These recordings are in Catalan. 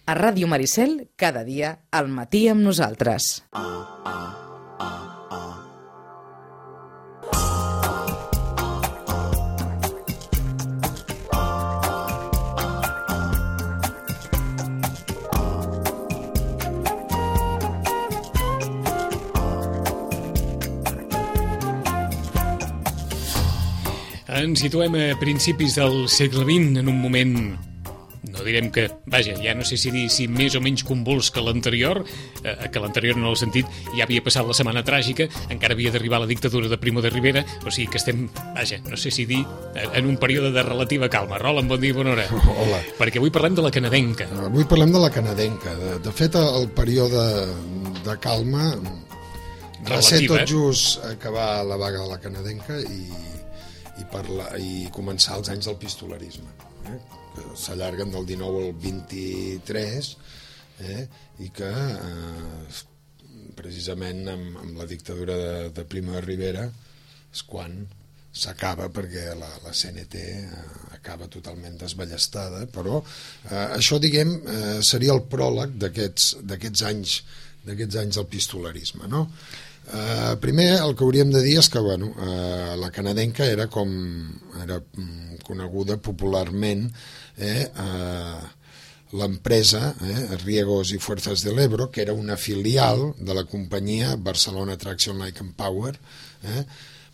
A Ràdio Maricel, cada dia, al matí amb nosaltres. Ens situem a principis del segle XX, en un moment, no direm que, vaja, ja no sé si dir si més o menys convuls que l'anterior en el sentit, ja havia passat la setmana tràgica, encara havia d'arribar la dictadura de Primo de Rivera, o sigui que estem, vaja, no sé si dir, en un període de relativa calma. Roland, bon dia i bona hora. Hola. Perquè avui parlem de la canadenca. Avui parlem de la canadenca. De fet, el període de calma va ser tot just acabar la vaga de la canadenca i començar els anys del pistolarisme, que s'allarguen del 19 al 23, i que precisament amb la dictadura de Primo de Rivera és quan s'acaba, perquè la CNT acaba totalment desballestada, però això, diguem, seria el pròleg d'aquests anys del pistolarisme, no? Primer el que hauríem de dir és que la canadenca era coneguda popularment l'empresa Riegos i Fuerzas del Ebro, que era una filial de la companyia Barcelona Traction Light and Power,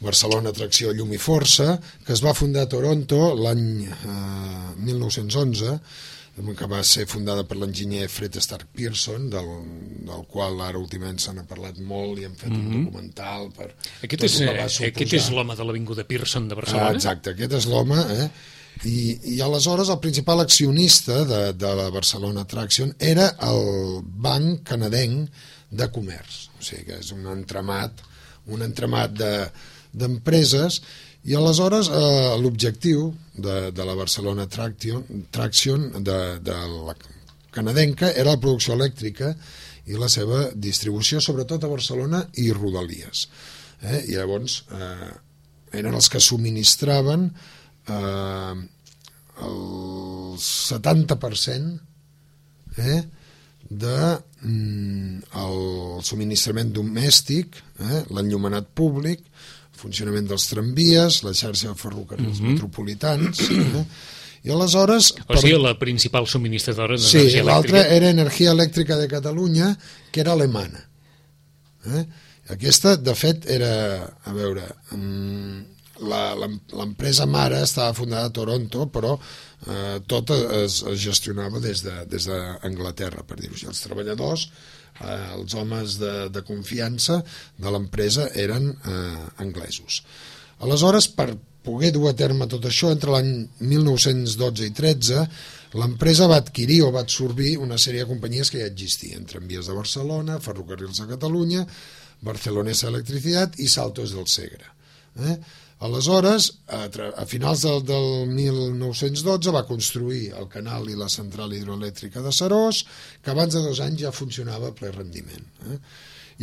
Barcelona Tracció Llum i Força, que es va fundar a Toronto l'any 1911, que va ser fundada per l'enginyer Fred Stark Pearson, del qual ara últimament se n'ha parlat molt i hem fet un documental per... Aquest és l'home de l'Avinguda Pearson de Barcelona? Exacte, aquest és l'home, i aleshores el principal accionista de la Barcelona Traction era el Banc Canadenc de Comerç, o sigui que és un entramat d'empreses. I aleshores l'objectiu de la Barcelona Traction de la canadenca era la producció elèctrica i la seva distribució, sobretot a Barcelona i Rodalies. I llavors eren els que subministraven el 70% del subministrament domèstic, l'enllumenat públic, funcionament dels tramvies, la xarxa de ferrocarrils metropolitans, i aleshores... O sigui, la principal subministradora d'energia elèctrica. Sí, l'altra era Energia Elèctrica de Catalunya, que era alemana. Aquesta, de fet, era... A veure, l'empresa mare estava fundada a Toronto, però tot es gestionava des d'Anglaterra, per dir-ho així. Els treballadors, els homes de confiança de l'empresa eren anglesos. Aleshores, per poder dur a terme tot això, entre l'any 1912 i 13, l'empresa va adquirir o va absorbir una sèrie de companyies que ja existien: Tramvies de Barcelona, Ferrocarrils de Catalunya, Barcelonesa Electricidad i Saltos del Segre. Aleshores, a finals del 1912 va construir el canal i la central hidroelèctrica de Seròs, que abans de 2 anys ja funcionava a ple rendiment.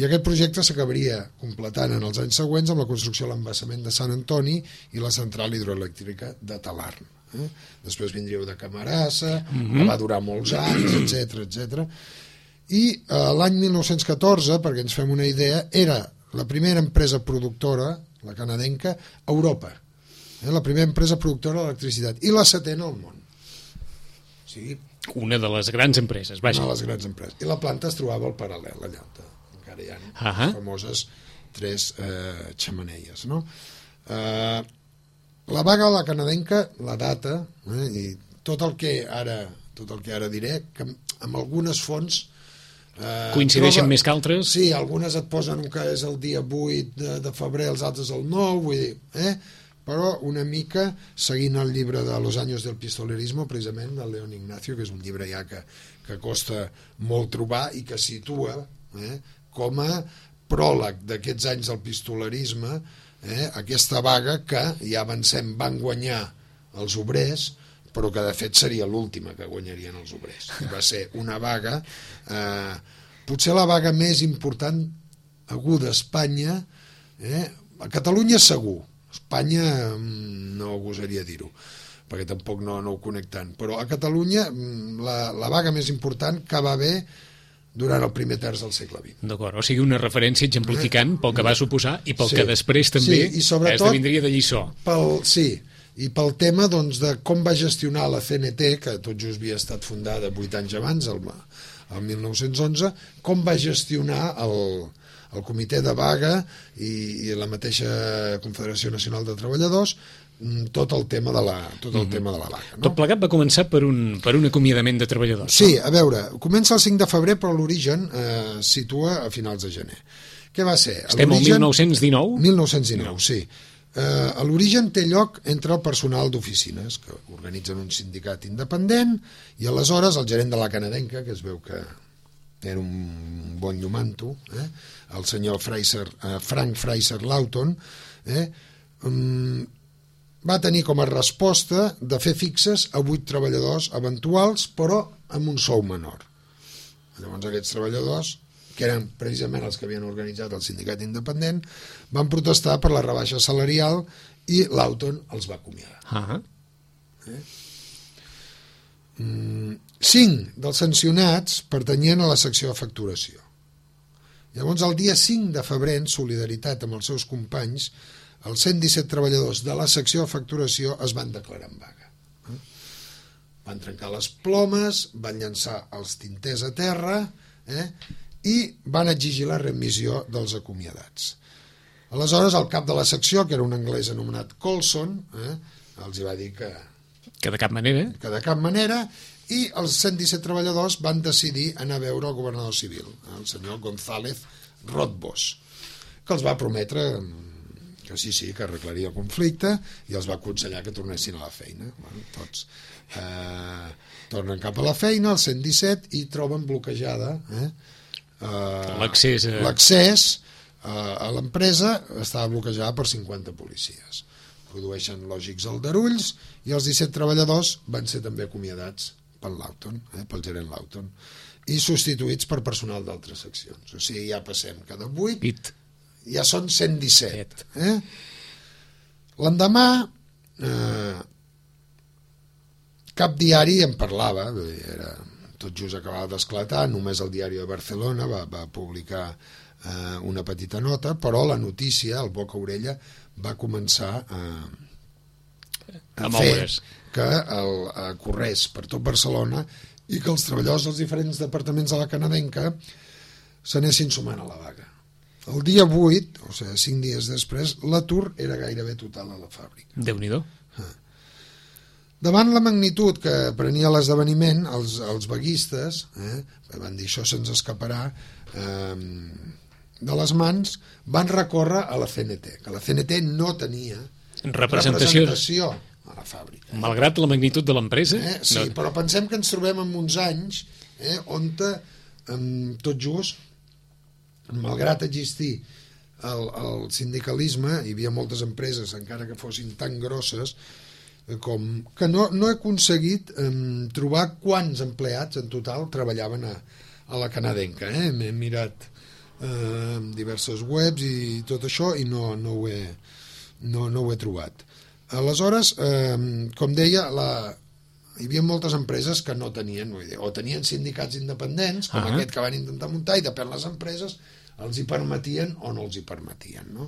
I aquest projecte s'acabaria completant en els anys següents amb la construcció de l'embassament de Sant Antoni i la central hidroelèctrica de Talarn. Després vindríeu de Camarasa, que va durar molts anys, etc. I l'any 1914, perquè ens fem una idea, era la primera empresa productora, la canadenca, a Europa. La primera empresa productora d'electricitat i la 7ª al món. O sigui, una de les grans empreses, vaja. Una de les grans empreses. I la planta es trobava al paral·lel, allà on encara hi ha les famoses 3 xemeneies, no? La vaga de la canadenca, la data, i tot el que ara diré, que amb algunes fonts coincideixen més que altres? Sí, algunes et posen que és el dia 8 de febrer, els altres el 9, vull dir, però una mica seguint el llibre de Los años del pistolerismo, precisament, del León Ignacio, que és un llibre ja que costa molt trobar i que situa com a pròleg d'aquests anys del pistolerisme aquesta vaga que, ja avancem, van guanyar els obrers, però que de fet seria l'última que guanyarien els obrers. I va ser una vaga, potser la vaga més important aguda a Espanya, a Catalunya segur, a Espanya no gosaria dir-ho, perquè tampoc no ho conec tant. Però a Catalunya la vaga més important que va haver durant el primer terç del segle XX. D'acord, o sigui, una referència exemplificant pel que va suposar i pel que després també esdevindria de lliçó. I pel tema doncs, de com va gestionar la CNT, que tot just havia estat fundada 8 anys abans, el 1911, com va gestionar el comitè de vaga i la mateixa Confederació Nacional de Treballadors tot el tema de la vaga. No? Tot plegat va començar per un acomiadament de treballadors. Sí, a veure, comença el 5 de febrer, però l'origen situa a finals de gener. Què va ser? Estem al 1919? 1919, sí. L'origen té lloc entre el personal d'oficines, que organitzen un sindicat independent, i aleshores el gerent de la canadenca, que es veu que era un bon llumanto, el senyor Frank Fraser Lawton, va tenir com a resposta de fer fixes a 8 treballadors eventuals, però amb un sou menor. Llavors aquests treballadors, que eren precisament els que havien organitzat el sindicat independent, van protestar per la rebaixa salarial i Lawton els va acomiadar. 5 dels sancionats pertanyien a la secció de facturació. Llavors, el dia 5 de febrer, en solidaritat amb els seus companys, els 117 treballadors de la secció de facturació es van declarar en vaga. Van trencar les plomes, van llançar els tinters a terra i van exigir la remissió dels acomiadats. Aleshores, el cap de la secció, que era un anglès anomenat Colson, els hi va dir que de cap manera. Que de cap manera, i els 117 treballadors van decidir anar a veure el governador civil, el senyor González Rothbos, que els va prometre que sí, que arreglaria el conflicte, i els va aconsellar que tornessin a la feina. Bueno, tots tornen cap a la feina, els 117, i troben bloquejada l'accés a l'empresa. Estava bloquejada per 50 policies. Produeixen lògics aldarulls, i els 17 treballadors van ser també acomiadats pel Lawton, pel gerent Lawton, i substituïts per personal d'altres seccions. O sigui, ja passem cada 8, ja són 117. L'endemà cap diari en parlava, tot just acabava d'esclatar, només el Diari de Barcelona va publicar una petita nota, però la notícia, el boca orella, va començar a fer que corrés per tot Barcelona i que els treballadors dels diferents departaments de la canadenca s'anessin sumant a la vaga. El dia 8, o sigui, 5 dies després, l'atur era gairebé total a la fàbrica. Déu-n'hi-do. Davant la magnitud que prenia l'esdeveniment, els vaguistes van dir això se'ns escaparà de les mans, van recórrer a la CNT, que la CNT no tenia representació a la fàbrica. Malgrat la magnitud de l'empresa? Sí, però pensem que ens trobem en uns anys on tot just, malgrat existir el sindicalisme, hi havia moltes empreses, encara que fossin tan grosses, que no he aconseguit trobar quants empleats en total treballaven a la canadenca. M'he mirat diverses webs i tot això i no ho he trobat. Aleshores, com deia, hi havia moltes empreses que no tenien, o tenien sindicats independents, com aquest que van intentar muntar, i depèn les empreses els hi permetien o no els hi permetien, no?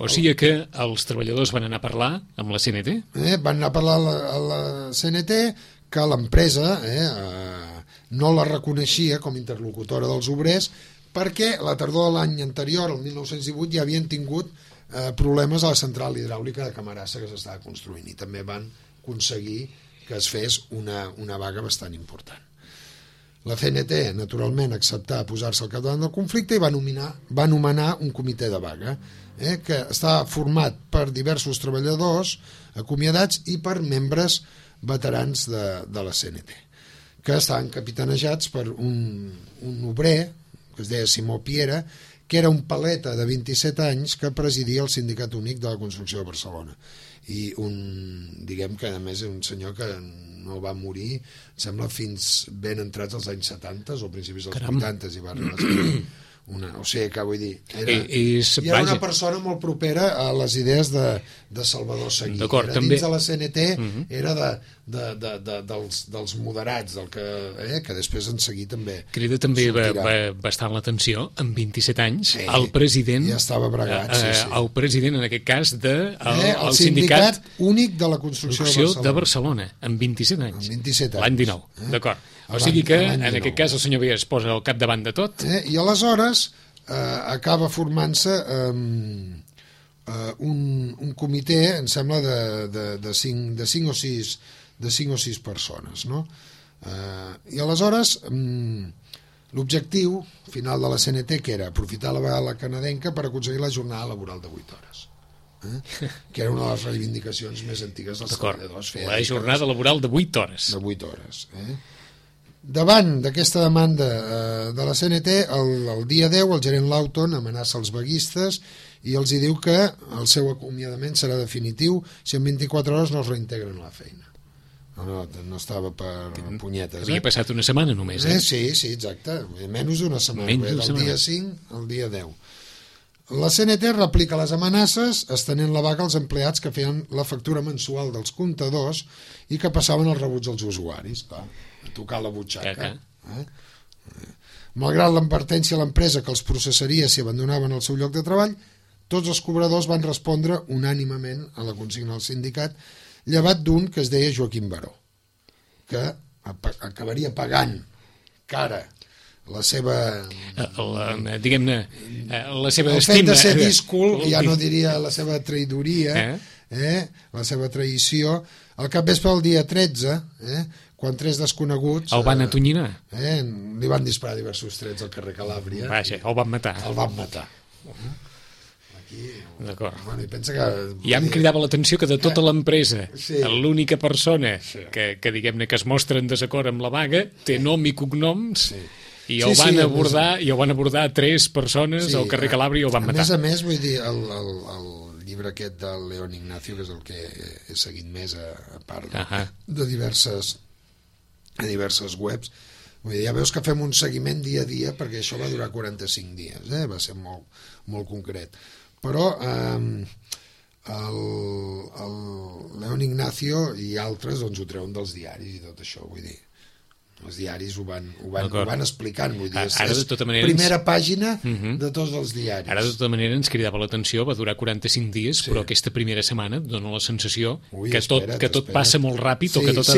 O sigui que els treballadors van anar a parlar amb la CNT? Van anar a parlar a la CNT, que l'empresa no la reconeixia com a interlocutora dels obrers, perquè la tardor de l'any anterior, el 1918, ja havien tingut problemes a la central hidràulica de Camarasa que s'estava construint, i també van aconseguir que es fes una vaga bastant important. La CNT, naturalment, acceptà posar-se al capdavant del conflicte i va nomenar un comitè de vaga que estava format per diversos treballadors acomiadats i per membres veterans de la CNT, que estaven capitanejats per un obrer que es deia Simó Piera, que era un paleta de 27 anys que presidia el Sindicat Únic de la Construcció de Barcelona, i diguem que a més és un senyor que no va morir, em sembla, fins ben entrats als anys 70 o principis dels 80, i va arribar a ser o sigui que vull dir, era una persona molt propera a les idees de Salvador Seguí. D'acord, era també... dins de la CNT, era dels moderats, que després en Seguí també crida també bastant l'atenció, amb 27 anys, el president... Ja estava bregat, el president, en aquest cas, el Sindicat Únic de la Construcció de Barcelona, amb 27 anys. Amb 27 anys. L'any 19, d'acord. O sigui que, en aquest cas, el senyor Via es posa al capdavant de tot. I aleshores acaba formant-se un comitè, em sembla, de 5 o 6 persones, no? I aleshores l'objectiu final de la CNT, que era aprofitar la vegada canadenca per aconseguir la jornada laboral de 8 hores, que era una de les reivindicacions més antigues dels treballadors. La jornada laboral de 8 hores. De 8 hores. Davant d'aquesta demanda de la CNT, el dia 10 el gerent Lawton amenaça els vaguistes i els hi diu que el seu acomiadament serà definitiu si en 24 hores no es reintegren a la feina. No estava per punyetes. Havia passat una setmana només, Sí, exacte. Menys d'una setmana. Del dia 5 al dia 10. La CNT replica les amenaces estenent la vaga als empleats que feien la factura mensual dels comptadors i que passaven els rebuts als usuaris. Clar, a tocar la butxaca. Malgrat l'advertència a l'empresa que els processaria si abandonaven el seu lloc de treball, tots els cobradors van respondre unànimament a la consigna del sindicat, llevat d'un que es deia Joaquim Baró, que acabaria pagant cara la seva... diguem-ne, la seva estima... El fet de ser díscol, ja no diria la seva traïdoria, la seva traïció. Al capvespre del dia 13, quan 3 desconeguts... El van atonyinar? Li van disparar diversos trets al carrer Calàbria. Vaja, el van matar. El van matar. D'acord. Bueno, i pensa que... Ja em cridava l'atenció que de tota l'empresa l'única persona que diguem-ne que es mostra en desacord amb la vaga té nom i cognoms i el van abordar 3 persones al carrer Calàbria i el van matar. A més, vull dir, el llibre aquest del León Ignacio, que és el que he seguit més a part de diverses webs, vull dir, ja veus que fem un seguiment dia a dia perquè això va durar 45 dies, va ser molt, molt concret. Però el León Ignacio i altres doncs ho treuen dels diaris i tot això, vull dir, els diaris ho van explicant, vull dir, és primera pàgina de tots els diaris. Ara de tota manera ens cridava l'atenció, va durar 45 dies, però aquesta primera setmana dona la sensació que tot passa molt ràpid, o que tot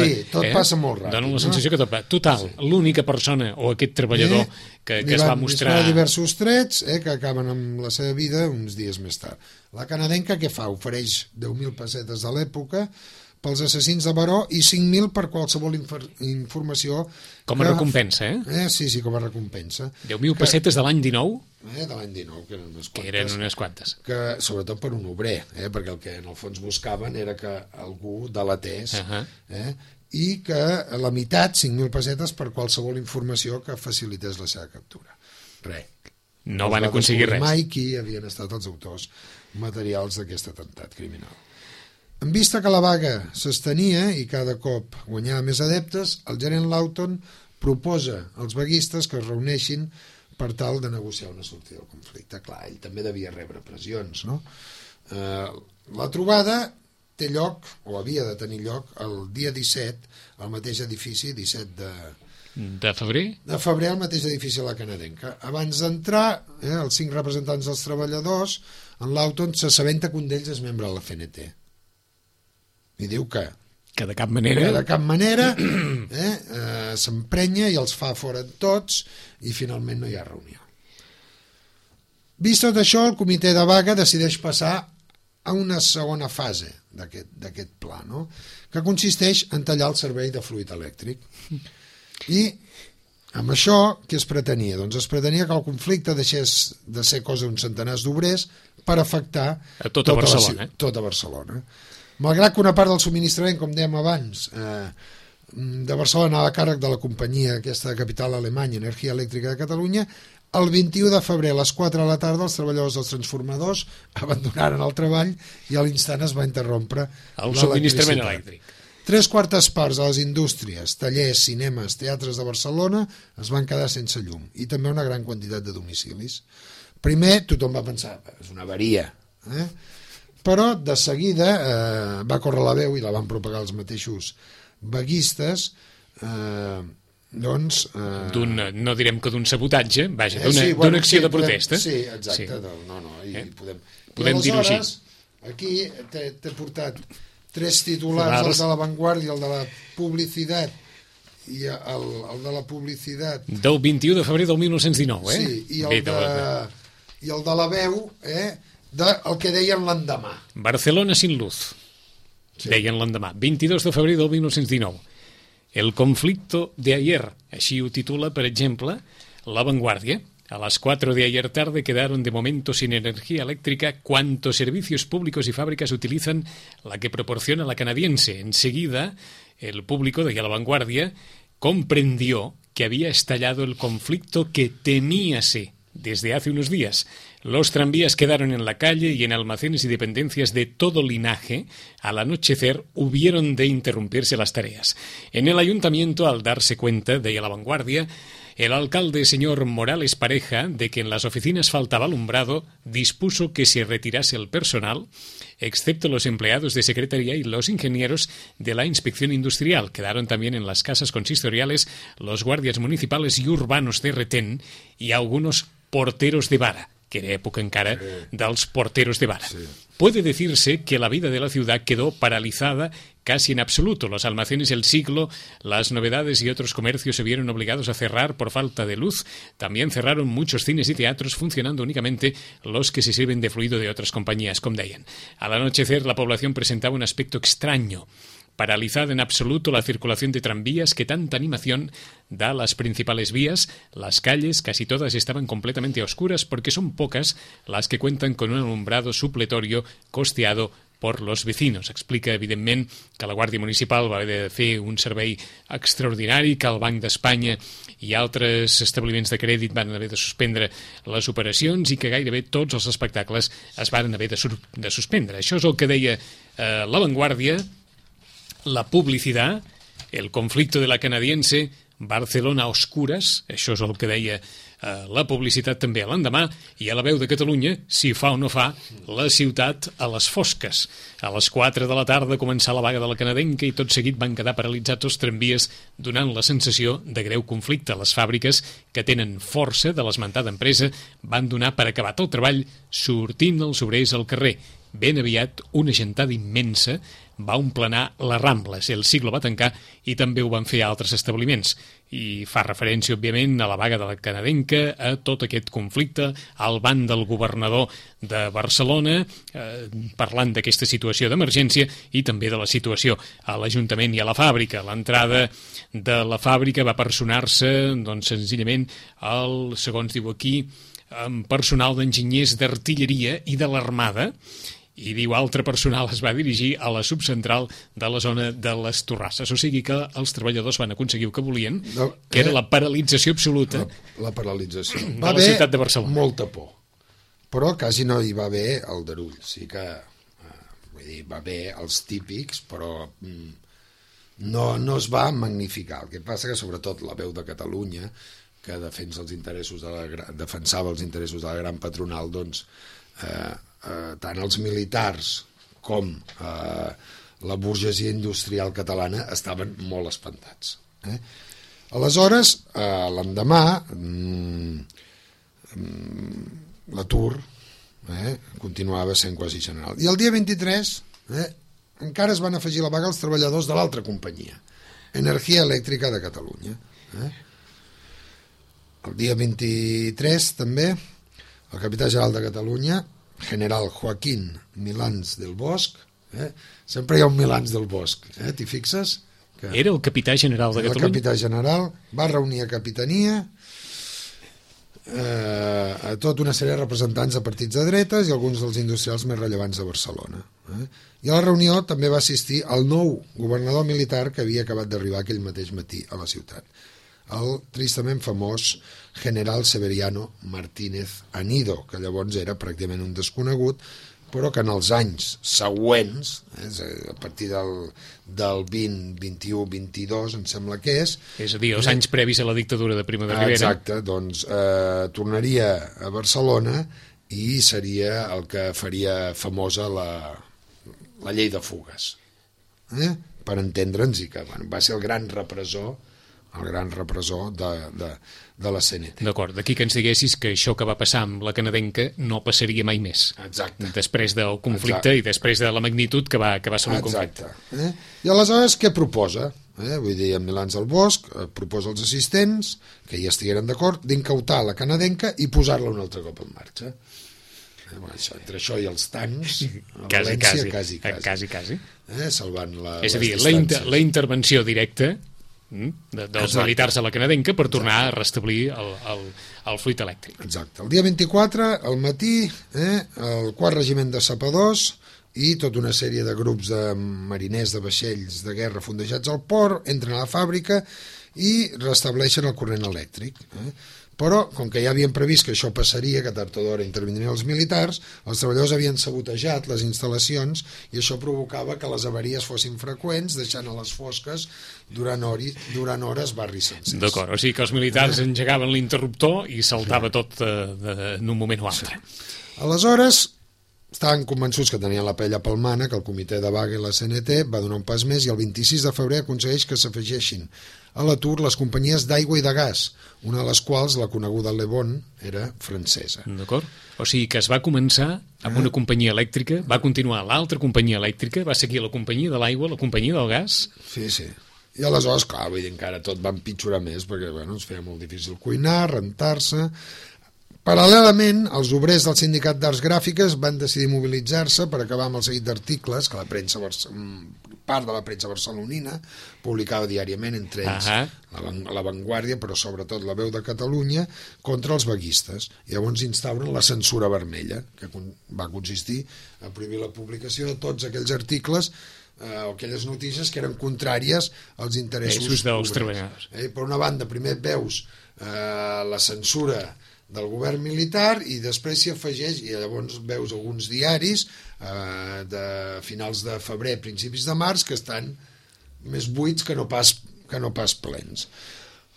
passa molt ràpid. Dona la sensació que tot passa. Total, l'única persona o aquest treballador que es va mostrar... diversos trets que acaben amb la seva vida uns dies més tard. La canadenca què fa? Ofereix 10.000 pessetes de l'època pels assassins de Baró i 5.000 per qualsevol informació... Com a recompensa, Sí, com a recompensa. 10.000 pessetes de l'any 19? De l'any 19, que eren unes quantes. Que eren unes quantes. Sobretot per un obrer, perquè el que en el fons buscaven era que algú delatés, i que la meitat, 5.000 pessetes, per qualsevol informació que facilités la seva captura. Res. No van aconseguir res. Mai qui havien estat els autors materials d'aquest atemptat criminal. En vista que la vaga s'estenia i cada cop guanyava més adeptes, el gerent Lawton proposa als vaguistes que es reuneixin per tal de negociar una sortida del conflicte. Clar, ell també devia rebre pressions, no? La trobada té lloc, o havia de tenir lloc, el dia 17, al mateix edifici, 17 de febrer? De febrer, al mateix edifici de la canadenca. Abans d'entrar, els 5 representants dels treballadors, en Lawton s'assabenta que un d'ells és membre de la CNT. I diu que de cap manera s'emprenya i els fa fora tots i finalment no hi ha reunió. Vist tot això, el comitè de vaga decideix passar a una segona fase d'aquest pla, no? Que consisteix en tallar el servei de fluid elèctric. I amb això, què es pretenia? Doncs es pretenia que el conflicte deixés de ser cosa d'uns centenars d'obrers per afectar a tota Barcelona. Malgrat que una part del subministrament, com dèiem abans, de Barcelona anava a càrrec de la companyia aquesta de capital alemanya, Energia Elèctrica de Catalunya, el 21 de febrer a les 4 de la tarda els treballadors dels transformadors abandonaren el treball i a l'instant es va interrompre el subministrament elèctric. 3/4 de les indústries, tallers, cinemes, teatres de Barcelona es van quedar sense llum i també una gran quantitat de domicilis. Primer tothom va pensar, és una avaria, però de seguida va córrer la veu i la van propagar els mateixos vaguistes, doncs... no direm que d'un sabotatge, vaja, d'una acció de protesta. Sí, exacte, podem dir-ho així. Aquí t'he portat 3 titulars, el de La Vanguardia, el de la Publicitat i el de la Publicitat del 21 de febrer del 1919, sí, i el de La Veu, el que deien l'endemà. Barcelona sin luz, deien l'endemà, 22 de febrer del 1919. El conflicto de ayer, així ho titula, per exemple, La Vanguardia. A las 4 de ayer tarde quedaron de momento sin energía eléctrica cuantos servicios públicos y fábricas utilizan la que proporciona la canadiense. Enseguida, el público de La Vanguardia comprendió que había estallado el conflicto que temíase desde hace unos días. Los tranvías quedaron en la calle y en almacenes y dependencias de todo linaje, al anochecer, hubieron de interrumpirse las tareas. En el ayuntamiento, al darse cuenta, de La Vanguardia, el alcalde, señor Morales Pareja, de que en las oficinas faltaba alumbrado, dispuso que se retirase el personal, excepto los empleados de secretaría y los ingenieros de la inspección industrial. Quedaron también en las casas consistoriales los guardias municipales y urbanos de retén y algunos porteros de vara, que era època encara dels porteros de vara. Puede decirse que la vida de la ciudad quedó paralizada casi en absoluto. Los almacenes El Siglo, las novedades y otros comercios se vieron obligados a cerrar por falta de luz. También cerraron muchos cines y teatros, funcionando únicamente los que se sirven de fluido de otras compañías, com deien. Al anochecer, la población presentaba un aspecto extraño. Paralizada en absoluto la circulación de tranvías que tanta animación da a las principales vías. Las calles, casi todas, estaban completamente oscuras porque son pocas las que cuentan con un alumbrado supletorio costeado por los vecinos. Explica, evidentment, que la Guàrdia Municipal va haver de fer un servei extraordinari, que el Banc d'Espanya i altres establiments de crèdit van haver de suspendre les operacions i que gairebé tots els espectacles es van haver de suspendre. Això és el que deia La Vanguardia, la publicitat, el conflicto de la canadiense, Barcelona a oscures, això és el que deia la publicitat també a l'endemà, i a La Veu de Catalunya, si fa o no fa, la ciutat a les fosques. A les 4 de la tarda començà la vaga de la canadenca i tot seguit van quedar paralitzats els tramvies, donant la sensació de greu conflicte. Les fàbriques, que tenen força de l'esmentada empresa, van donar per acabat el treball, sortint els obrers al carrer. Ben aviat, una gentada immensa va omplenar les Rambles. El Siglo va tancar i també ho van fer altres establiments. I fa referència, òbviament, a la vaga de la canadenca, a tot aquest conflicte, al ban del governador de Barcelona, parlant d'aquesta situació d'emergència i també de la situació a l'Ajuntament i a la fàbrica. L'entrada de la fàbrica va personar-se, doncs, senzillament, segons diu aquí, amb personal d'enginyers d'artilleria i de l'Armada, i diu altre personal es va dirigir a la subcentral de la zona de les Torrasses. O sigui que els treballadors van aconseguir el que volien, que era la paralització absoluta la paralització. De la ciutat de Barcelona. Molta por, però quasi no hi va haver aldarull. Sí que vull dir, va haver els típics, però no es va magnificar. El que passa que sobretot La Veu de Catalunya, que defensava els interessos de la gran patronal, doncs tant els militars com la burgesia industrial catalana estaven molt espantats. Aleshores, l'endemà, l'atur continuava sent quasi general. I el dia 23 encara es van afegir a la vaga els treballadors de l'altra companyia, Energia Elèctrica de Catalunya. El dia 23 també el capità general de Catalunya, general Joaquín Milans del Bosch, sempre hi ha un Milans del Bosch, t'hi fixes? Era el capità general de Catalunya. El capità general va reunir a capitania a tota una sèrie de representants de partits de dretes i alguns dels industrials més rellevants de Barcelona. I a la reunió també va assistir el nou governador militar que havia acabat d'arribar aquell mateix matí a la ciutat, el tristament famós general Severiano Martínez Anido, que llavors era pràcticament un desconegut, però que en els anys següents, a partir del 20, 21, 22, em sembla que és... És a dir, els anys previs a la dictadura de Primo de Rivera. Exacte, doncs tornaria a Barcelona i seria el que faria famosa la llei de fugues. Per entendre'ns, i que va ser el gran repressor de la CNT. D'acord, d'aquí que ens diguessis que això que va passar amb la canadenca no passaria mai més. Exacte. Després del conflicte i després de la magnitud que va ser un conflicte. Exacte. I aleshores què proposa? Vull dir, en Milans del Bosch proposa als assistents, que hi estigueren d'acord, d'incautar la canadenca i posar-la un altre cop en marxa. Entre això i els tancs, a València, quasi. Salvant les és a dir, distàncies. la intervenció directa dels militars a la canadenca per tornar a restablir el fluid elèctric. Exacte. El dia 24, al matí, el 4 regiment de sapadors i tota una sèrie de grups de mariners de vaixells de guerra fondejats al port entren a la fàbrica i restableixen el corrent elèctric. Però, com que ja havien previst que això passaria, que tard o d'hora intervindrien els militars, els treballadors havien sabotejat les instal·lacions i això provocava que les avaries fossin freqüents, deixant a les fosques durant hores barris sencers. D'acord, o sigui que els militars engegaven l'interruptor i saltava tot en un moment o altre. Aleshores, estaven convençuts que tenien la pella palmana, que el comitè de vaga i la CNT va donar un pas més i el 26 de febrer aconsegueix que s'afegeixin a l'atur les companyies d'aigua i de gas, una de les quals, la coneguda Le Bon, era francesa. D'acord. O sigui que es va començar amb una companyia elèctrica, va continuar l'altra companyia elèctrica, va seguir la companyia de l'aigua, la companyia del gas... Sí. I aleshores, clar, vull dir, encara tot va empitjorar més, perquè ens feia molt difícil cuinar, rentar-se... Paral·lelament, els obrers del Sindicat d'Arts Gràfiques van decidir mobilitzar-se per acabar amb el seguit d'articles que part de la premsa barcelonina publicava diàriament, entre ells la Vanguardia, però sobretot la Veu de Catalunya, contra els vaguistes. I llavors instauren la censura vermella, que va consistir a prohibir la publicació de tots aquells articles o aquelles notícies que eren contràries als interessos dels treballadors. Per una banda, primer veus la censura del govern militar i després s'hi afegeix, i llavors veus alguns diaris de finals de febrer, principis de març, que estan més buits que no pas plens.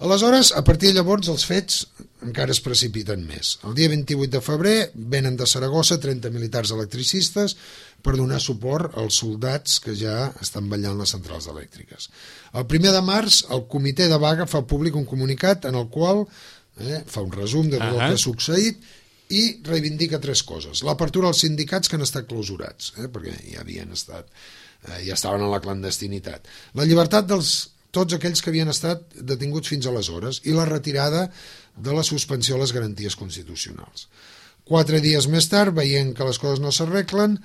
Aleshores, a partir de llavors, els fets encara es precipiten més. El dia 28 de febrer venen de Saragossa 30 militars electricistes per donar suport als soldats que ja estan vetllant les centrals elèctriques. El 1 de març, el comitè de vaga fa públic un comunicat en el qual fa un resum de tot el que ha succeït i reivindica 3 coses. L'apertura als sindicats que han estat clausurats, perquè ja estaven en la clandestinitat. La llibertat tots aquells que havien estat detinguts fins aleshores i la retirada de la suspensió de les garanties constitucionals. 4 dies més tard, veient que les coses no s'arreglen,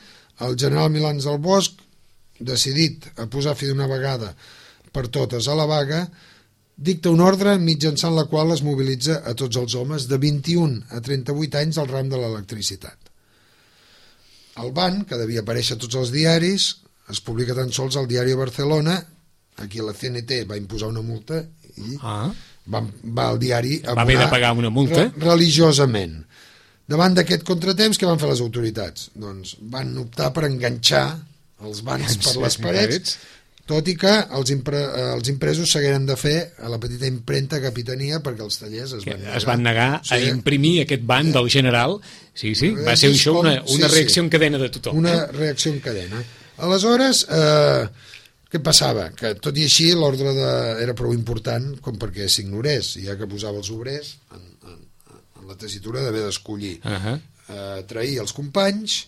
el general Milans del Bosch, decidit a posar fi d'una vegada per totes a la vaga, dicta una ordre mitjançant la qual es mobilitza a tots els homes de 21 a 38 anys al ram de l'electricitat. El ban, que devia aparèixer a tots els diaris, es publica tan sols al diari de Barcelona. Aquí la CNT va imposar una multa i va al diari va haver de pagar una multa religiosament. Davant d'aquest contratemps, què van fer les autoritats? Doncs van optar per enganxar els bans per les parets, tot i que els impresos s'hagueren de fer a la petita impremta Capitania perquè els tallers es van negar a imprimir aquest ban del general. Sí, va ser això una reacció en cadena de tothom. Una reacció en cadena. Aleshores, què passava? Que tot i així l'ordre era prou important com perquè s'ignorés, ja que posava els obrers en la tessitura d'haver d'escollir trair els companys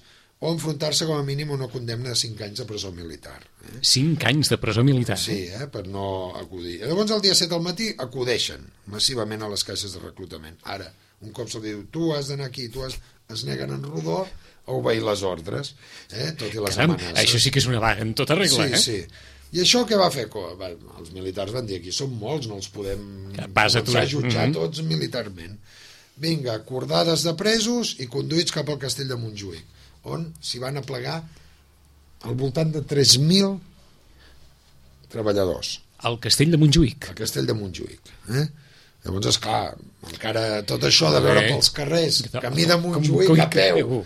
o enfrontar-se com a mínim a una condemna de 5 anys de presó militar. 5 anys de presó militar? Sí, per no acudir. Llavors el dia 7 al matí acudeixen massivament a les caixes de reclutament. Ara, un cop se'l diu, tu has d'anar aquí, es neguen en rodó a obeir les ordres, tot i les amenaces. Això sí que és una vaga en tota regla, Sí. I això què va fer? Els militars van dir, aquí som molts, no els podem jutjar tots militarment. Vinga, cordades de presos i conduïts cap al castell de Montjuïc, on s'hi van aplegar al voltant de 3.000 treballadors. Al castell de Montjuïc? Al castell de Montjuïc. Llavors, esclar, encara tot això de veure pels carrers, camí de Montjuïc a peu,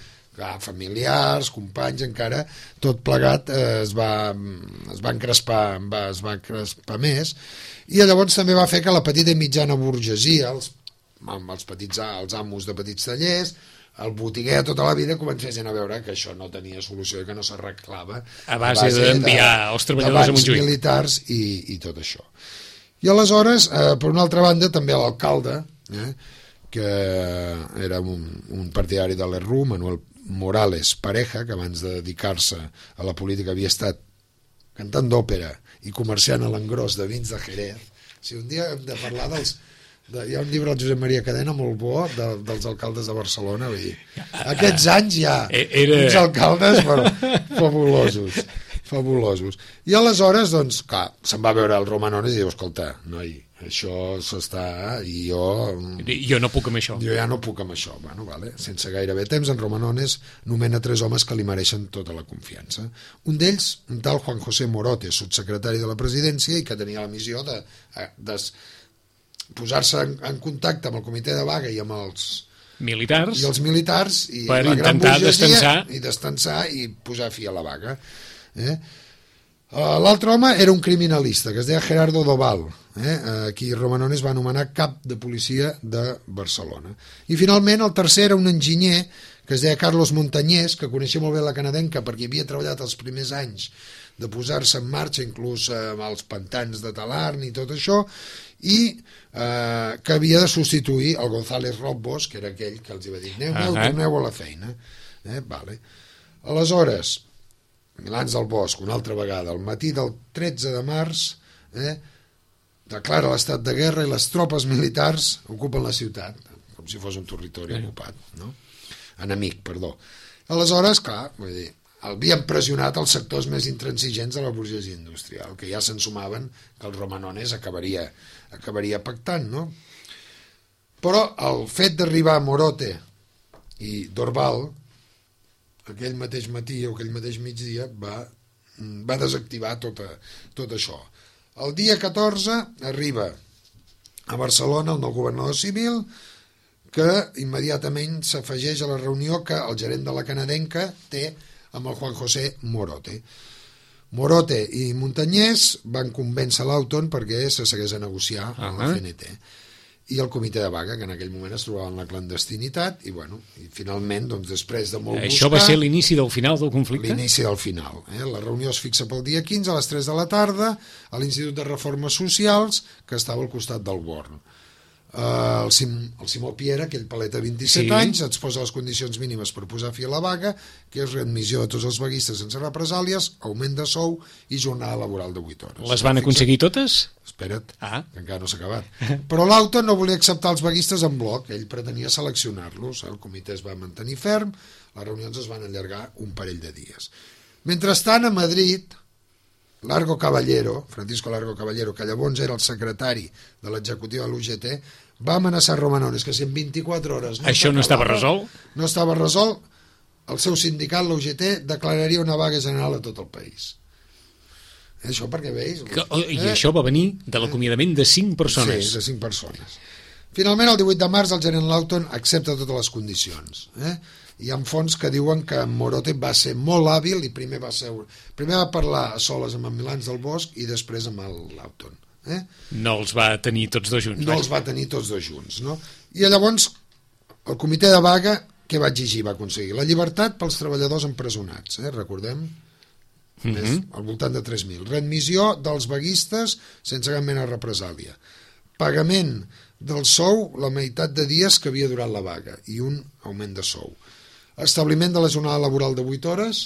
familiars, companys, encara tot plegat es va encrespar més, i llavors també va fer que la petita i mitjana burgesia, els amos de petits tallers, el botiguer tota la vida comencessin a veure que això no tenia solució i que no s'arreglava a base d'enviar els treballadors a Montjuïc, militars i tot això. I aleshores, per una altra banda, també l'alcalde, que era un partidari de l'ERRU, Manuel Morales Pareja, que abans de dedicar-se a la política havia estat cantant d'òpera i comerciant a l'engròs de vins de Jerez. Si un dia hem de parlar hi ha un llibre del Josep Maria Cadena molt bo dels alcaldes de Barcelona, vull dir, aquests anys hi ha uns alcaldes fabulosos. I aleshores, doncs, clar, se'n va veure el Romanones i diu, escolta, noi, això s'està, i jo no puc amb això. Jo ja no puc amb això. Bueno, vale. Sense gairebé temps, en Romanones nomena 3 homes que li mereixen tota la confiança. Un d'ells, un tal Juan José Morote, subsecretari de la presidència, i que tenia la missió de posar-se en contacte amb el comitè de vaga i amb els militars i per la gran intentar burgesia descansar i posar fi a la vaga. L'altre home era un criminalista que es deia Gerardo Doval, qui Romanones va anomenar cap de policia de Barcelona. I finalment el tercer era un enginyer que es deia Carlos Montañés, que coneixia molt bé la canadenca perquè havia treballat els primers anys de posar-se en marxa inclús amb els pantans de Talarn i tot això, i que havia de substituir el González Robbos, que era aquell que els va dir torneu a la feina. Vale. Aleshores, Milans del Bosch, una altra vegada, al matí del 13 de març, declara l'estat de guerra i les tropes militars ocupen la ciutat, com si fos un territori ocupat, no? Enemic, perdó. Aleshores, clar, vull dir, havien pressionat els sectors més intransigents de la burgesia industrial, que ja se'n sumaven que el Romanones acabaria pactant, no? Però el fet d'arribar a Morote i Dorval, aquell mateix matí o aquell mateix migdia, va desactivar tot això. El dia 14 arriba a Barcelona el nou governador civil, que immediatament s'afegeix a la reunió que el gerent de la canadenca té amb el Juan José Morote. Morote i Montañés van convèncer l'Auton perquè se s'hagués a negociar amb la CNT i el comitè de vaga, que en aquell moment es trobava en la clandestinitat, i bueno, i finalment, doncs, després de molt buscar... Això va ser l'inici del final del conflicte? L'inici del final. La reunió es fixa pel dia 15 a les 3 de la tarda a l'Institut de Reformes Socials, que estava al costat del Born. El Simó Piera, aquell palet de 27 anys, exposa les condicions mínimes per posar fi a la vaga, que és readmissió de tots els vaguistes sense represàlies, augment de sou i jornada laboral de 8 hores. Les van aconseguir totes? Espera't, que encara no s'ha acabat. Però l'Auton no volia acceptar els vaguistes en bloc, ell pretenia seleccionar-los, el comitè es va mantenir ferm, les reunions es van allargar un parell de dies. Mentrestant, a Madrid, Francisco Largo Caballero, que llavors era el secretari de l'executiu de l'UGT, va amenaçar Romanones que si en 24 hores això no estava resolt, el seu sindicat, l'UGT, declararia una vaga general a tot el país. Això perquè veus... I això va venir de l'acomiadament de 5 persones. Sí, de 5 persones. Finalment, el 18 de març, el gerent Laughton accepta totes les condicions. Hi ha fonts que diuen que Morote va ser molt hàbil i primer va parlar a soles amb en Milans del Bosch i després amb el Laughton. No els va tenir tots dos junts. No els va tenir tots dos junts, no? I llavors el comitè de vaga què va exigir, va aconseguir? La llibertat pels treballadors empresonats, recordem? Al voltant de 3.000. Readmissió dels vaguistes sense cap mena de represàlia. Pagament del sou la meitat de dies que havia durat la vaga i un augment de sou. Establiment de la jornada laboral de 8 hores,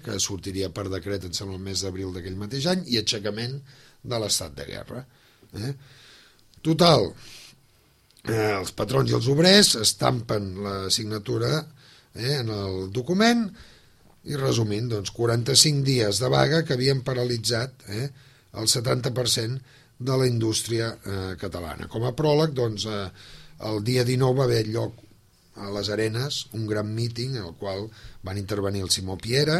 que sortiria per decret, em sembla, el mes d'abril d'aquell mateix any, i aixecament de l'estat de guerra. Total, els patrons i els obrers estampen la signatura en el document i, resumint, doncs, 45 dies de vaga que havien paralitzat el 70% de la indústria catalana. Com a pròleg, doncs, el dia 19 va haver lloc a les Arenes un gran míting en el qual van intervenir el Simó Piera,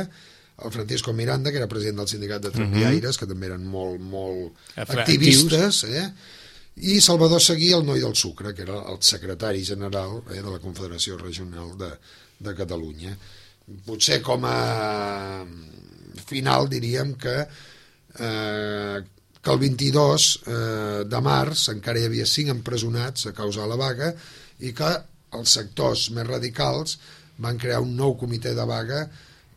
el Francisco Miranda, que era president del sindicat de tramviaires, que també eren molt activistes, i Salvador Seguí, el noi del sucre, que era el secretari general de la Confederació Regional de Catalunya. Potser com a final diríem que el 22 de març encara hi havia 5 empresonats a causa de la vaga i que els sectors més radicals van crear un nou comitè de vaga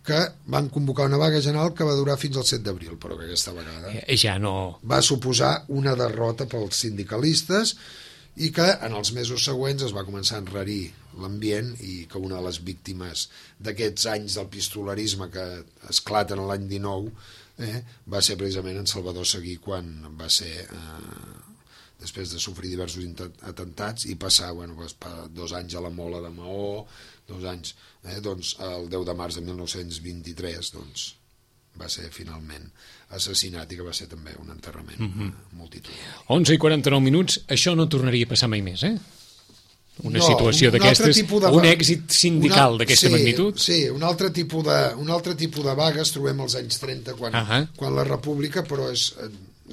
que van convocar una vaga general que va durar fins al 7 d'abril, però que aquesta vegada ja no... va suposar una derrota pels sindicalistes i que en els mesos següents es va començar a enrarir l'ambient i que una de les víctimes d'aquests anys del pistolerisme que esclaten l'any 19 va ser precisament en Salvador Seguí quan va ser després de sofrir diversos atemptats i passar 2 anys a la Mola de Maó, 2 anys doncs el 10 de març de 1923 doncs va ser finalment assassinat i que va ser també un enterrament multitudinari. 11:49, això no tornaria a passar mai més, Una situació d'aquestes, un èxit sindical d'aquesta magnitud? Sí, un altre tipus de vagues trobem als anys 30 quan la República, però és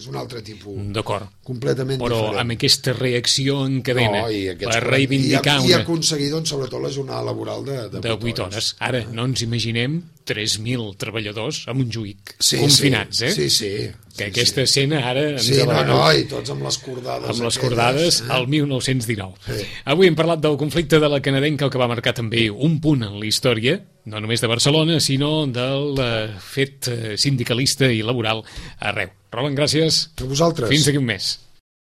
un altre tipus. D'acord. Completament però diferent. Però amb aquesta reacció en cadena per reivindicar i aconseguir doncs, sobretot la jornada laboral de 8 hores. Ara, no ens imaginem 3.000 treballadors amb un juïc confinats, Sí. Que aquesta escena ara... i tots amb les cordades. Amb les cordades al 1919. Sí. Avui hem parlat del conflicte de la canadenca, que va marcar també un punt en la història, no només de Barcelona, sinó del fet sindicalista i laboral arreu. Roland, gràcies. A vosaltres. Fins aquí un mes.